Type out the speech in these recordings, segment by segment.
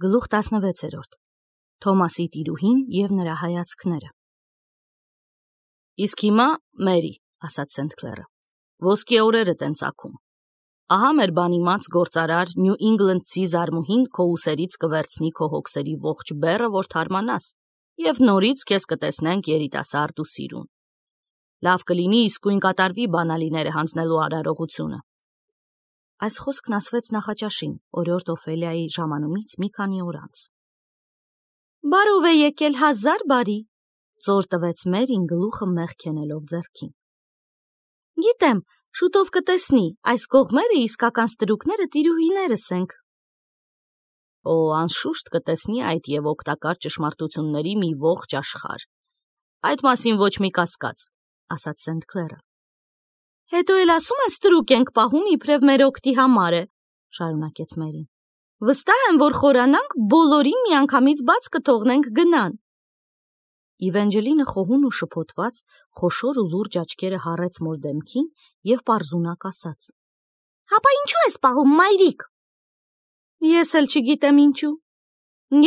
Գլուխ 16 Թոմասի տիրուհին և նրա հայացքները։ Իսկ հիմա, Մերի, ասաց Սենթ Քլերը, ոսկե օրերդ են ծագում։ Ահա մեր բանիմաց գործարար Նյու Ինգլանդցի զարմուհին քո ուսերից կվերցնի քո հոգսերի ողջ բեռը, որ թարմանաս, և նորից քեզ կտեսնենք երիտասարդ ու սիրուն։ Լավ կլինի իսկույն կատարվի բանալիները հանձնելու արարողությունը։ Այս խոսքն ասվեց նախաճաշին, օրորդ Օֆելիայի ժամանումից մի քանի օր անց։ Բարով է եկել 1000 բարի, ծոր տվեց Մերին գլուխը մեղքենելով ձեռքին։ Գիտեմ, շուտով կտեսնի, այս կողմերը իսկական ստրուկները տիրուհիներս ենք։ Օ, անշուշտ կտեսնի այդ և օգտակար ճշմարտությունների մի ողջ աշխարհ։ Այդ մասին ոչ մի կասկած, ասաց Սենթ Քլերը։ Հետո էլ ասում են ստրուկ ենք պահում իբրև մեր օգտի համար է, շարունակեց Մերին։ Վստահ եմ, որ խորանանք, բոլորին միանգամից բաց կթողնենք գնան։ Իվենջելինը խոհուն ու շփոթված, խոշոր ու լուրջ աչքերը հառեց մոր դեմքին և պարզունակ ասաց. Հապա ինչու ես պահում, մայրիկ։ Ես էլ չգիտեմ ինչու։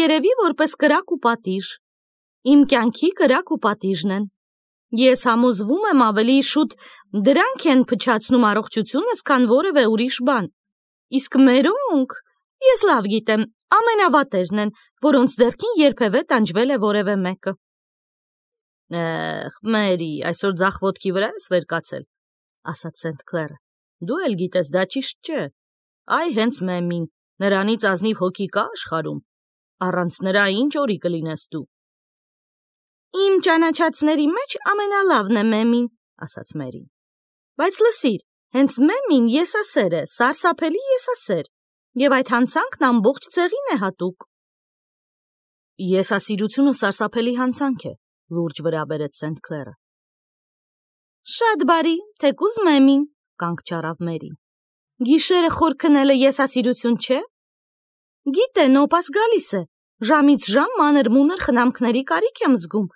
Երևի որպես կրակ ու պատիժ։ Իմ կյանքի կրակ ու պատիժն են։ Ես համոզվում եմ ավելի շուտ դրանք են փչացնում առողջությունս, քան որևէ ուրիշ բան։ Իսկ մերոնք, ես լավ գիտեմ, ամենավատերն են, որոնց ձեռքին երբևէ տանջվել է որևէ մեկը։ Մերի, այսօր ձախ ոտքի վրա ես վեր կացել, ասաց Սենթ Քլերը։ Դու էլ գիտես, դա ճիշտ չէ։ Այ հենց Մեմին, նրանից ազնիվ հոգի կա աշխարհում։ Առանց նրա ինչ օրի կլինես դու։ Իմ ճանաչածների մեջ ամենալավն է Մեմին, ասաց Մերին։ Բայց լսիր, հենց Մեմին եսասեր է, սարսափելի եսասեր, և այդ հանցանքն ամբողջ ցեղին է հատուկ։ Եսասիրությունը սարսափելի հանցանք է, լուրջ վրա բերեց Սենթ Քլերը։ Շատ բարի, թեկուզ Մեմին, կանգ չառավ Մերին։ Գիշերը խոր քնելը եսասիրություն չէ։ Գիտե, նոպաս գալիս է, ժամից ժամ մանր-մունր խնամքների կարիք եմ զգում,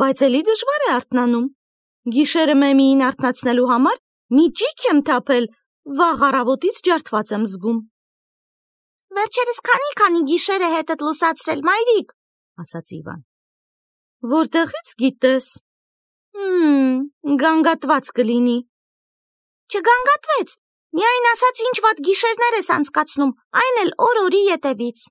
բայց էլի դժվար է արթնանում։ Գիշերը Մեմիին արթնացնելու համար մի ճիք եմ թափել, վաղ առավոտից ջարդված եմ զգում։ Վերջերս քանի գիշեր է հետդ լուսացրել, մայրիկ, ասաց Իվան։ Որտեղից գիտես։ Գանգատված կլինի։ Չգանգատվեց, միայն ասաց ինչ վատ գիշերներ ես անցկացնում, այն էլ օր-օրի ետևից։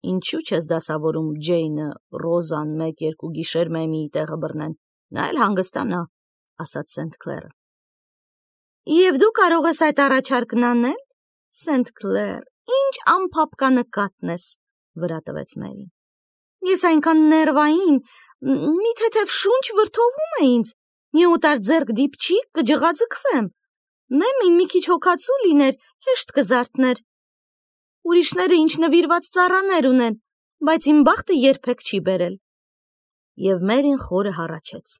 Ինչու չես դասավորում Ջեյնը, Ռոզան 1-2 գիշեր Մեմիի տեղը բռնեն, նա էլ հանգստանա, ասաց Սենթ Քլերը։ Եվ դու կարող ես այդ առաջարկն անել, Սենթ Քլեր, ինչ անփափկանկատն ես, վրա տվեց Մերին։ Ես այնքան ներվային, մի թեթև շունչ վրդովում է ինձ, մի օտար ձեռք դիպչի, կջղաձգվեմ։ Մեմին մի քիչ հոգացու լիներ, հեշտ կզարթներ։ Ուրիշները ինչ նվիրված ծառաներ ունեն, բայց իմ բախտը երբեք չի բերել։ Եվ Մերին խորը հառաչեց։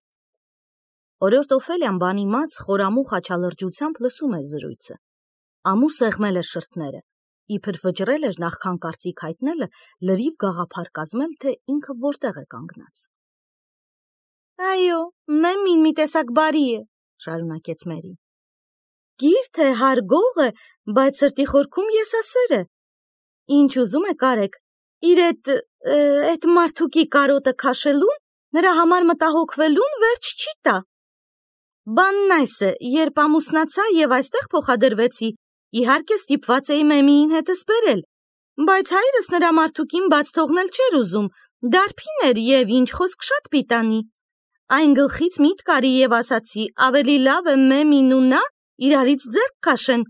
Օրորդ Օֆելիան բանիմաց խորամուխ աչալրջությամբ լսում էր զրույցը։ Ամուր սեղմել էր շրթները, իբր վճռել էր նախքան կարծիք հայտնելը լրիվ գաղափար կազմել, թե ինքը որտեղ է կանգնած։ Այո, Մեմին մի տեսակ բարի է, շարունակեց Մերին։ Գիրտ է, հարգող է, բայց սրտի խորքում եսասեր է։ Ինչ ուզում եք արեք, իր էդ մարդուկի կարոտը քաշելուն, նրա համար մտահոգվելուն վերջ չի տա։ Բանն այս է, երբ ամուսնացա և այստեղ փոխադրվեցի, իհարկե ստիպված էի Մեմիին հետս բերել, բայց հայրս նրա մարդուկին բաց թողնել չէր ուզում, դարբին էր և ինչ խոսք շատ պիտանի։ Այն գլխից միտք արի և ասացի, ավելի լավ է Մեմին ու նա իրարից ձեռք քաշեն,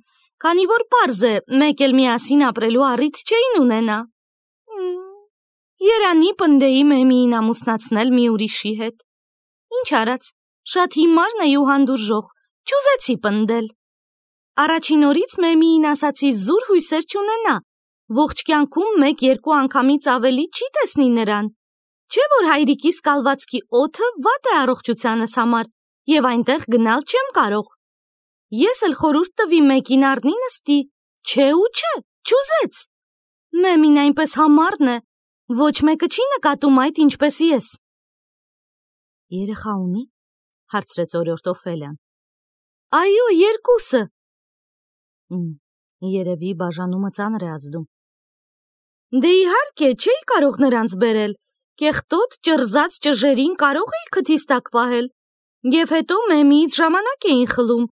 քանի որ պարզ է, մեկ էլ միասին ապրելու առիթ չէին ունենա։ Երանի պնդեի Մեմիին ամուսնացնել մի ուրիշի հետ։ Ինչ արած, շատ հիմարն է ու հանդուրժող, չուզեցի պնդել։ Առաջին օրից Մեմիին ասացի զուր հույսեր չունենա, ողջ կյանքում 1-2 անգամից ավելի չի տեսնի նրան։ Չէ որ հայրիկիս կալվածքի օդը վատ է առողջությանս համար և այնտեղ գնալ չեմ կարող։ Ես էլ խորհուրդ տվի մեկին առնի նստի, չէ ու չէ, չուզեց։ Մեմին այնպես համառն է, ոչ մեկը չի նկատում այդ ինչպես ես։ Երեխա ունի, հարցրեց օրորդ Օֆելիան։ Այո, 2-ը։ Երևի բաժանումը ծանր է ազդում։ Դե իհարկե չէի կարող նրանց բերել, կեղտոտ ճռզած ճժերին կարող էի քթիս տակ պահել, և հետո մեմիից ժամանակ էին խլում,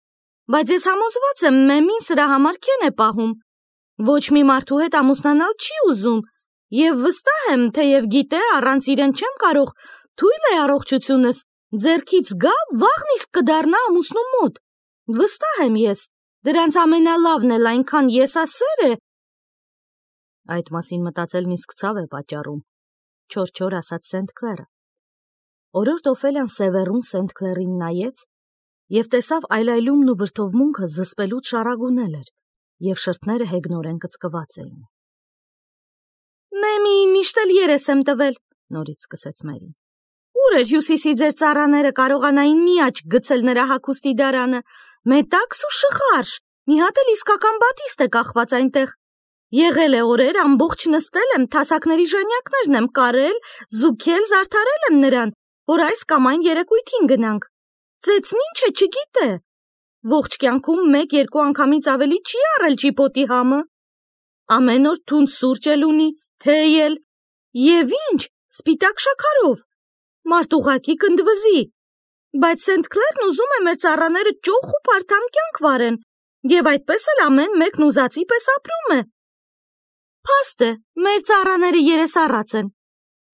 բայց ես համոզված եմ մեմին սրա համար քեն է պահում, ոչ մի մարդու հետ ամուսնանալ չի ուզում, և վստահ եմ, թեև գիտե առանց իրեն չեմ կարող, թույլ է առողջությունս, ձեռքից գա, վաղն իսկ կդառնա ամուսնու մոտ, վստահ եմ ես, դրանց ամենալավն էլ այնքան եսասեր է։ Այդ մասին մտածելն իսկ ցավ է պատճառում, չոր ասաց Սենթ Քլերը։ Օրորդ Օֆելիան սևեռուն Սենթ Քլերին նայեց և տեսավ այլայլումն ու վրդովմունքը զսպելուց շառագունել էր, և շրթները հեգնորեն կծկված էին։ Մեմիին միշտ էլ երես եմ տվել, նորից սկսեց Մերին։ Ուր էր Հյուսիսի ձեր ծառաները կարողանային մի աչք գցել նրա հագուստի դարանը, մետաքս ու շղարշ, մի հատ էլ իսկական բատիստ է կախված այնտեղ։ Եղել է օրեր, ամբողջ նստել եմ, թասակների ժանյակներն եմ կարել, զուգել, զարդարել եմ նրան, որ այս կամ այն երեկույթին գնանք։ Ծեծն ինչ է, չգիտե։ Ողջ կյանքում 1-2 անգամից ավելի չի առել ճիպոտի համը։ Ամեն օր թունդ սուրճ էլ ունի, թեյ էլ, և ինչ, սպիտակ շաքարով, մարդ ուղղակի կնդվզի։ Բայց Սենթ Քլերն ուզում է մեր ծառաները ճոխ ու փարթամ կյանք վարեն, և այդպես էլ ամեն մեկն ուզածի պես ապրում է։ Փաստ է, մեր ծառաները երեսառած են։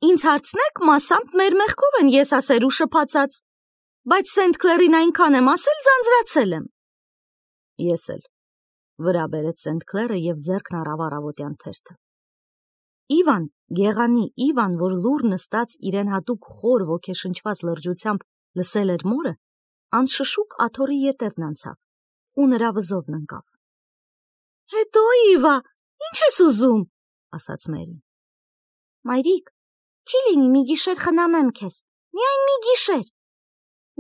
Ինձ հարցնեք, մասամբ մեր մեղքով են եսասեր ու շփացած, բայց Սենթ Քլերին այնքան եմ ասել, ձանձրացել եմ։ Ես էլ, վրա բերեց Սենթ Քլերը և ձեռքն առավ առավոտյան թերթը։ Իվան, գեղանի Իվան, որ լուռ նստած իրեն հատուկ խոր ոգեշնչված լրջությամբ լսել էր մորը, անշշուկ աթոռի ետևն անցավ ու նրա վզովն ընկավ։ Հետո Իվա, ինչ ես ուզում, ասաց Մերին։ Մայրիկ, չի լինի մի գիշեր խնամեմ քեզ, միայն մի գիշեր։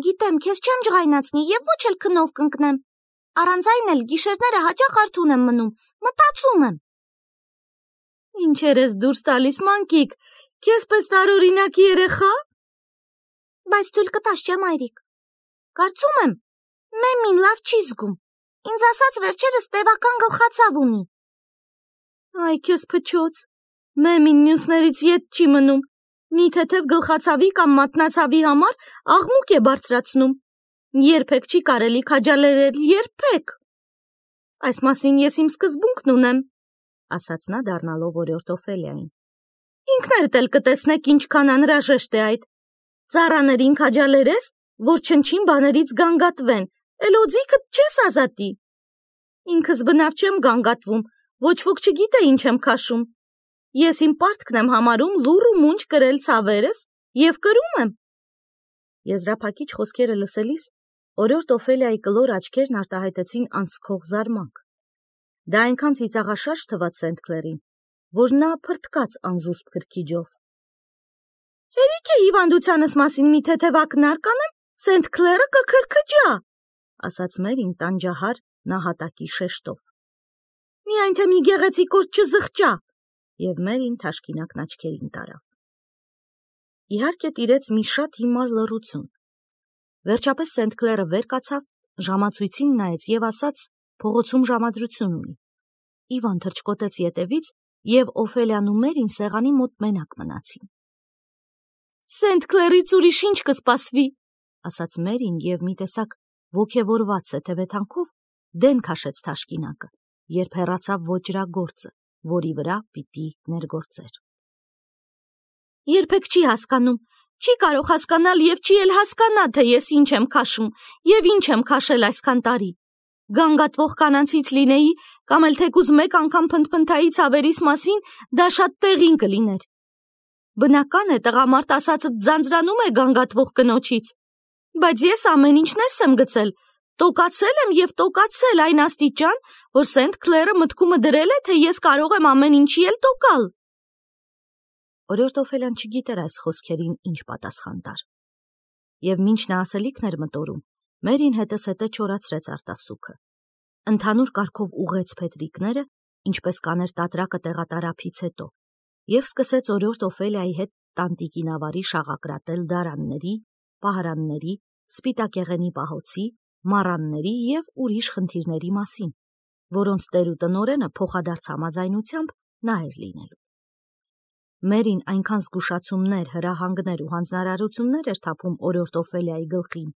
Գիտեմ, քեզ չեմ ջղայնացնի և ոչ էլ քնով կընկնեմ, առանց այն էլ գիշերները հաճախ արթուն եմ մնում, մտածում եմ։ Ինչեր ես դուրս տալիս, մանկիկ, քեզ պես տարօրինակ երեխա։ Բայց թույլ կտաս, չէ՞ մայրիկ։ Կարծում եմ, մեմին լավ չի զգում, ինձ ասաց վերջերս տևական գլխացավ ունի։ Այ քեզ փչոց, մեմին մյուսներից ետ չի մնում, մի թեթև գլխացավի կամ մատնացավի համար աղմուկ է բարձրացնում, երբեք չի կարելի քաջալերել, երբեք։ Այս մասին ես իմ սկզբունքն ունեմ, ասաց նա դառնալով օրորդ Օֆելիային։ Ինքներդ էլ կտեսնեք ինչքան անհրաժեշտ է այդ։ Ծառաներին քաջալերես, որ չնչին բաներից գանգատվեն, էլ օձիքդ չես ազատի։ Ինքս բնավ չեմ գանգատվում, ոչ ոք չգիտե ինչ եմ քաշում։ Ես իմ պարտքն եմ համարում լուռ ու մունջ կրել ցավերս և կրում եմ։ Եզրափակիչ խոսքերը լսելիս օրորդ Օֆելիայի կլոր աչքերն արտահայտեցին անսքող զարմանք։ Դա այնքան ծիծաղաշարժ թվաց Սենթ Քլերին, որ նա փրթկաց անզուսպ քրքիջով։ Հերիք է հիվանդությանս մասին մի թեթև ակնարկ անեմ, Սենթ Քլերը կքրքջա, ասաց Մերին տանջահար նահատակի շեշտով։ Միայն թե մի գեղեցիկ օր չզղջա, և Մերին թաշկինակն աչքերին տարավ։ Իհարկե տիրեց մի շատ հիմար լռություն։ Վերջապես Սենթ Քլերը վեր կացավ, ժամացույցին նայեց և ասաց փողոցում ժամադրություն ունի։ Իվան թռչկոտեց ետևից, և Օֆելիան ու Մերին սեղանի մոտ մենակ մնացին։ Սենթ Քլերից ուրիշ ինչ կսպասվի, ասաց Մերին և մի տեսակ ոգևորված սեթևեթանքով դեն քաշեց թաշկինակը, երբ հեռացավ ոճրագործը, որի վրա պիտի ներգործեր։ Երբեք չի հասկանում, չի կարող հասկանալ և չի էլ հասկանա, թե ես ինչ եմ քաշում և ինչ եմ քաշել այսքան տարի։ Գանգատվող կանանցից լինեի, կամ էլ թեկուզ մեկ անգամ փնթփնթայի ցավերիս մասին, դա շատ տեղին կլիներ։ Բնական է, տղամարդ ասածդ ձանձրանում է գանգատվող կնոջից, բայց ես ամեն ինչ ներս եմ գցել, տոկացել եմ և տոկացել այն աստիճան, որ Սենթ Քլերը մտքումը դրել է, թե ես կարող եմ ամեն ինչի էլ տոկալ։ Օրորդ Օֆելիան չգիտեր այս խոսքերին ինչ պատասխան տար։ Եվ մինչ նա ասելիքն էր մտորում, Մերին հետզհետե չորացրեց արտասուքը։ Ընդհանուր կարգով ուղղեց փետրիկները, ինչպես կաներ տատրակը տեղատարափից հետո, և սկսեց օրորդ Օֆելիայի հետ տանտիկինավարի շաղակրատել դարանների, պահարանների, սպիտակեղենի պահոցի, մառանների և ուրիշ խնդիրների մասին, որոնց տեր ու տնօրենը փոխադարձ համաձայնությամբ նա էր լինելու։ Մերին այնքան զգուշացումներ, հրահանգներ ու հանձնարարություններ էր թափում օրորդ Օֆելիայի գլխին,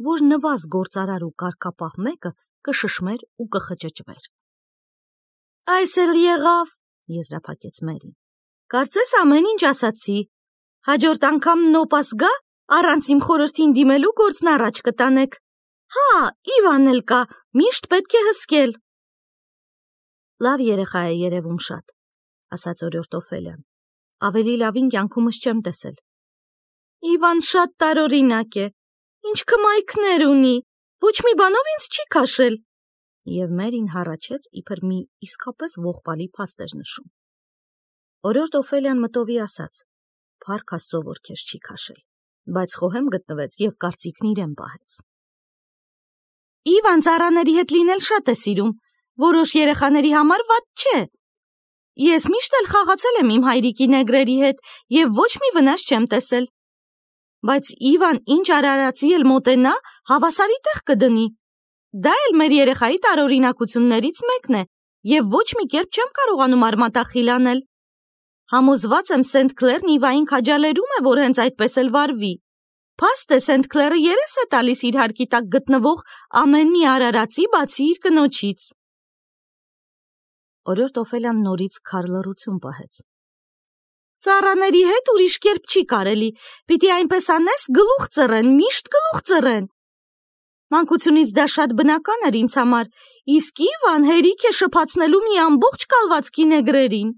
որ նվազ գործարար ու կարգապահ մեկը կշշմեր ու կխճճվեր։ Այս էլ եղավ, եզրափակեց Մերին։ Կարծես ամեն ինչ ասացի։ Հաջորդ անգամ նոպաս գա, առանց իմ խորհրդին դիմելու գործն առաջ կտանեք։ Հա, Իվան էլ կա, միշտ պետք է հսկել։ Լավ երեխա է երևում շատ, ասաց օրորդ Օֆելիան։ Ավելի լավին կյանքումս չեմ տեսել։ Իվան շատ տարօրինակ է, ինչ կմայքներ ունի, ոչ մի բանով ինձ չի քաշել։ Եվ Մերին հառաչեց, իբր մի իսկապես ողբալի փաստ էր նշում։ Օրորդ Օֆելիան մտովի ասաց. Փառք Աստծո, որ քեզ չի քաշել, բայց խոհեմ գտնվեց եւ կարծիքն իրեն պահեց։ Իվան ծառաների հետ լինել շատ է սիրում, որոշ երեխաների համար վատ չէ։ Ես միշտ էլ խաղացել եմ իմ հայրիկի նեգրերի հետ եւ ոչ մի վնաս չեմ տեսել։ Բայց Իվան ինչ արարածի էլ մոտենա, հավասարի տեղ կդնի։ Դա էլ մեր երեխայի տարօրինակություններից մեկն է եւ ոչ մի կերպ չեմ կարողանում արմատախիլ անել։ Համոզված եմ Սենթ Քլերն Իվային քաջալերում է, որ հենց այդպես էլ վարվի։ Փաստ է Սենթ Քլերը երես է տալիս իր հարկի տակ գտնվող ամեն մի արարածի, բացի իր կնոջից։ Օրորդ Օֆելիան նորից քարլռություն պահեց։ Ծառաների հետ ուրիշ կերպ չի կարելի, պիտի այնպես անես, գլուխ ծռեն, միշտ գլուխ ծռեն։ Մանկությունից դա շատ բնական էր ինձ համար, իսկ Իվան հերիք է շփացնելու մի ամբողջ կալվածքի նեգրերին։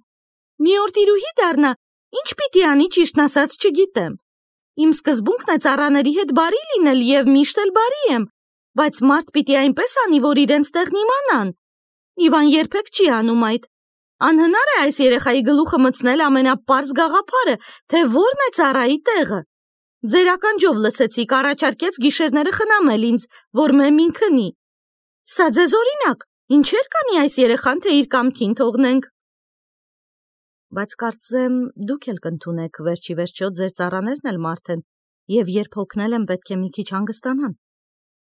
Մի օր տիրուհի դառնա, ինչ պիտի անի, ճիշտն ասած չգիտեմ։ Իմ սկզբունքն է ծառաների հետ բարի լինել եւ միշտ էլ բարի եմ, բայց մարդ պիտի այնպես անի, որ իրենց տեղն իմանան։ Իվան երբեք չի անում այդ։ Անհնար է այս երեխայի գլուխը մտցնել ամենապարզ գաղափարը, թե որն է ծառայի տեղը։ Ձեր ականջով լսեցիք, առաջարկեց գիշերները խնամել ինձ, որ մեմին քնի։ Սա ձեզ օրինակ, ինչեր կանի այս երեխան, թե իր կամքին թողնենք։ Բայց կարծեմ դուք էլ կընդունեք, վերջի վերջո ձեր ծառաներն էլ մարդ են, եւ երբ հոգնել են պետք է մի քիչ հանգստանան,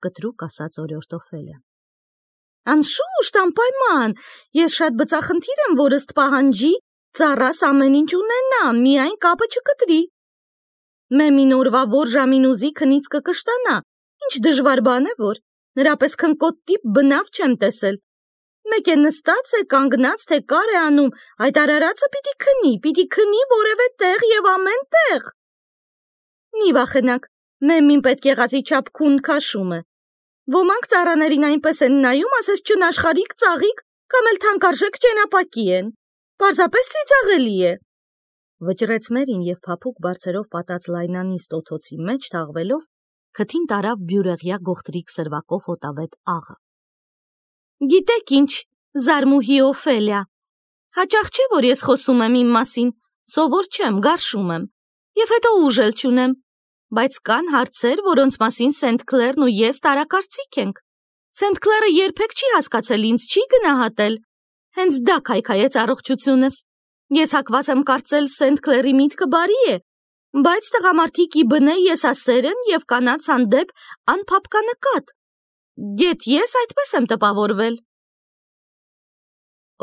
կտրուկ ասաց օրորդ Օֆելիան։ Անշուշտ, անպայման, ես շատ բծախնդիր եմ, որ ըստ պահանջի ծառաս ամեն ինչ ունենա, միայն կապը չկտրի։ Մեմին օրվա որ ժամին ուզի քնից կկշտանա, ինչ դժվար բան է որ, նրա պես քնկոտ տիպ բնավ չեմ տեսել։ Մեկ է նստած է, կանգնած, թե կար է անում, այդ արարածը պիտի քնի որևէ տեղ եւ ամեն տեղ։ Մի վախենակ, մեմին պետք եղածի չափ քուն քաշում է։ Ոմանք ծառաներին այնպես են նայում, ասես չնաշխարհիկ ծաղիկ կամ էլ թանկարժեք ճենապակի են։ Պարզապես ծիծաղելի է։ Վճռեց Մերին եւ փափուկ բարձերով պատած լայնանիստ օթոցի մեջ թաղվելով, քթին տարավ բյուրեղյա գողտրիկ սրվակով հոտավետ աղը։ Գիտեք ինչ, զարմուհի Օֆելիա, հաճախ չէ, որ ես խոսում եմ իմ մասին, սովոր չեմ, գարշում եմ, եւ հետո ուժ էլ չունեմ, բայց կան հարցեր, որոնց մասին Սենթ Քլերն ու ես տարակարծիք ենք։ Սենթ Քլերը երբեք չի հասկացել ինձ, չի գնահատել, հենց դա քայքայեց առողջությունս։ Ես հակված եմ կարծել Սենթ Քլերի միտքը բարի է, բայց տղամարդիկ ի բնե եսասեր են եւ կանանց հանդեպ անփափկանկատ։ Գեթ ես այդպես եմ տպավորվել։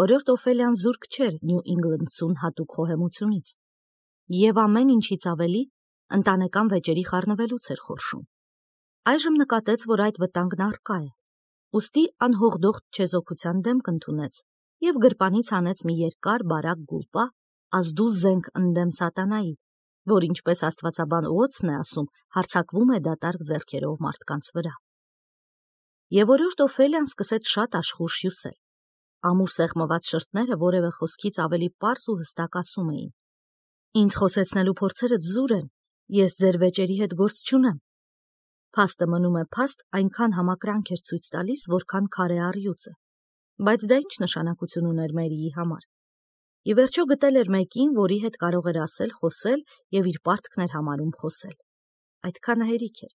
Օրորդ Օֆելիան զուրկ չէր Նյու Ինգլանդցուն հատուկ խոհեմությունից, եւ ամեն ինչից ավելի ընտանեկան վեճերի խառնվելուց էր խորշում։ Այժմ նկատեց, որ այդ վտանգն առկա է, ուստի անհողդող չեզոքության դեմք ընդունեց եւ գրպանից հանեց մի երկար բարակ գուլպա, ազդու զենք ընդդեմ սատանայի, որ ինչպես աստվածաբան Ուոտսն է ասում, հարձակվում է դատարկ ձեռքերով մարդկանց վրա։ Եվ օրորդ Օֆելիան սկսեց շատ աշխուժ հյուսել։ Ամուր սեղմված շրթները որևէ խոսքից ավելի պարզ ու հստակ ասում էին. Ինձ խոսեցնելու փորձերը զուր են, ես ձեր վեճերի հետ գործ չունեմ։ Փաստը մնում է փաստ, այնքան համակրանք էր ցույց տալիս, որքան քարե առյուծը, բայց դա ինչ նշանակություն ուներ Մերիի համար։ Ի վերջո գտել էր մեկին, որի հետ կարող էր ասել, խոսել եւ իր պարտքն էր համարում խոսել։ Այդքանը հերիք էր։